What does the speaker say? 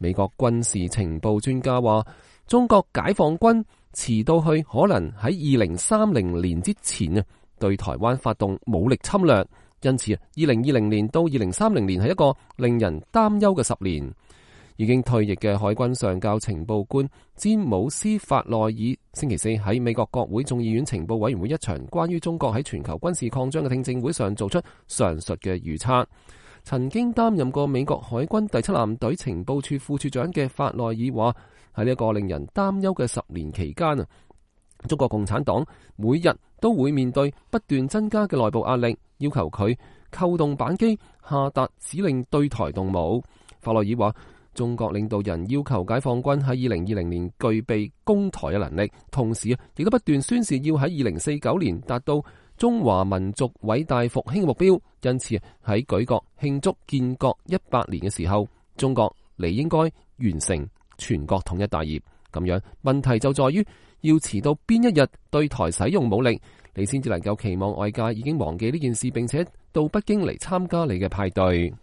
美國軍事情報專家話，中國解放軍遲到去可能喺2030年之前啊，對台灣發動武力侵略。因此2020年到2030年係一個令人擔憂嘅10年。已經退役嘅海軍上校情報官詹姆斯法內爾星期四喺美國國會眾議院情報委員會一場關於中國喺全球軍事擴張嘅聽證會上做出上述嘅預測。曾經擔任過美國海軍第7艦隊情報處副處長嘅法內爾話，喺呢一個令人擔憂嘅10年期間啊，中國共產黨每日都會面對不斷增加嘅內部壓力，要求佢扣動扳機，下達指令對台動武。法內爾話，中國領導人要求解放軍喺2020年具備攻台嘅能力，同時亦都不斷宣示要喺2049年達到中華民族偉大復興嘅目標。因此喺舉國慶祝建國100年嘅時候，中國理應該完成全國統一大業。咁樣問題就在於要遲到邊一日對台使用武力，你先至能夠期望外界已經忘記呢件事，並且到北京嚟參加你嘅派對。